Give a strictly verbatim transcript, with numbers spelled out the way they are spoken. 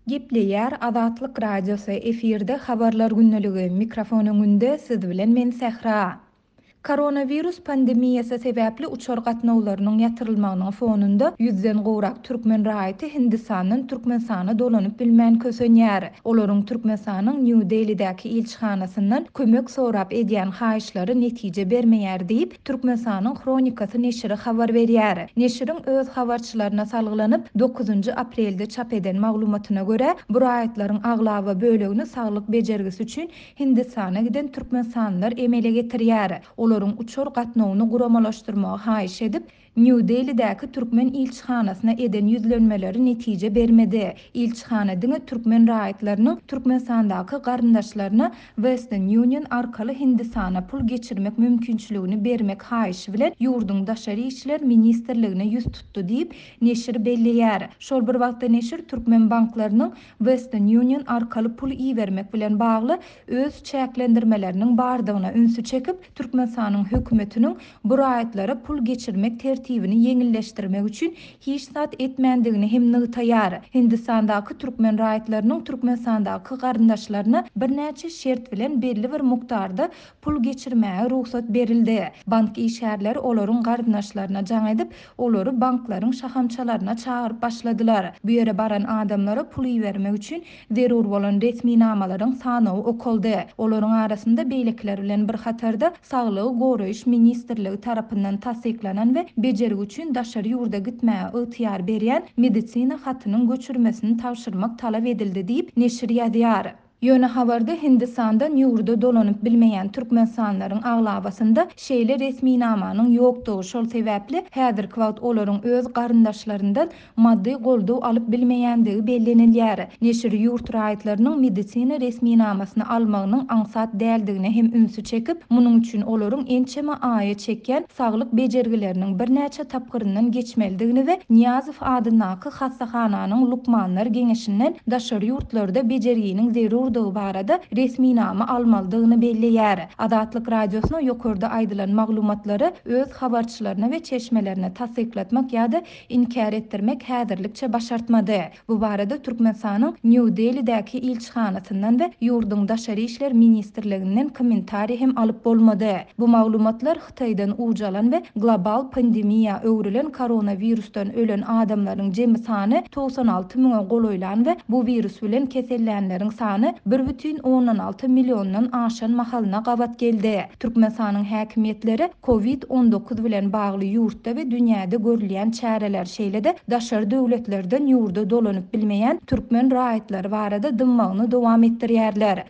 Gepleýär Azatlyk Radiosy, efirde Habarlar gündeligi, mikrofon öňünde siz bilen men Sähra. Koronawirus pandemiýasy sebäpli uçar gatnawlarynyň ýatyrylmagynyň fonunda ýüzden gowrak türkmen raýaty Hindistandan Türkmenistana dolanyp bilmän kösenýär. Olaryň Türkmenistanyň Nýu-Delidäki ilçihanasyndan kömek sorap edýän haýyşlary netije bermeýär diýip, Türkmenistanyň Hronikasy neşiri habar berýär. Neşiriň öz habarçylaryna salgylanyp, dokuzynjy aprelde çap eden maglumatyna görä, bu raýatlaryň aglaba bölegini saglyk bejergisi üçin Hindistana giden türkmenistanlylar emele getirýär. Olaryň uçar gatnawyny guramalaşdyrmagy haýyş edip, Nýu-Delidäki türkmen ilçihanasyna eden ýüzlenmeleri netije bermedi. Ilçihana diňe türkmen raýatlarynyň Türkmenistandaky garyndaşlaryna Western Union arkaly Hindistana pul geçirmek mümkinçiligini bermek haýyşy bilen ýurduň Daşary işler ministrligine ýüz tutdy diýip, neşir belleýär. Şol bir wagtda neşir türkmen banklarynyň Western Union arkaly pul ibermek bilen bagly öz çäklendirmeleriniň bardygyna ünsi çekip, Türkmenistanyň hökümetiniň bu raýatlara pul geçirmek tertibini ýeňilleşdirmek üçin hiç zat etmändigini hem nygtaýar. Hindistandaky türkmen raýatlarynyň Türkmenistandaky garyndaşlaryna birnäçe şert bilen belli bir mukdarda pul geçirmäge rugsat berildi. Bank işgärleri olaryň garyndaşlaryna jaň edip, olary banklaryň şahamçalaryna çagyryp başladylar. Bu ýere baran adamlara pul ibermek üçin zerur bolan resminamalaryň sanawy okaldy. Olaryň arasynda beýlekiler bilen bir hatarda Saglygy goraýyş ministrligi tarapyndan tassyklanan we bejergi üçin daşary ýurda gitmäge ygtyýar berýän medisina hatynyň göçürmesini tabşyrmak talap edildi diýip, neşir ýazýar. Ýöne habarda Hindistandan ýurda dolanyp bilmeýän türkmenistanlylaryň aglabasynda şeýle resminamanyň ýokdugy, şol sebäpli häzirki wagt olaryň öz garyndaşlaryndan maddy goldaw alyp bilmeýändigi bellenilýär. Neşir ýurt raýatlarynyň medisina resminamasyny almagynyň aňsat däldigine hem ünsi çekip, munuň üçin olaryň ençeme aýa çekýän saglyk bejergileriniň birnäçe tapgyryndan geçmelidigini we Nyýazow adyndaky hassahananyň lukmanlar geňeşinden daşary ýurtlarda bejerginiň zerurdygy barada resminama almalydygyny belleýär. Azatlyk Radiosyna ýokarda aýdylan maglumatlary öz habarçylaryna we çeşmelerine tassyklatmak ýa-da inkär etdirmek häzirlikçe başartmady. Bu barada Türkmenistanyň Nýu-Delidäki ilçihanasyndan we ýurduň Daşary işler ministrliginden kommentariý hem alyp bolmady. Bu maglumatlar Hytaýdan ujalan we global pandemiýa öwrülen koronawirusdan ölen adamlaryň jemi sany togsan alty müňe golaýlan we bu wirus bilen kesellänleriň sany bir bütin ondan alty milliondan aşan mahalyna gabat geldi. Türkmenistanyň häkimiýetleri kovid on dokuz bilen bagly ýurtda we dünýäde görülýän çäreler, şeýle-de daşary döwletlerden ýurda dolanyp bilmeýän türkmen raýatlary barada dymmagyny dowam etdirýärler.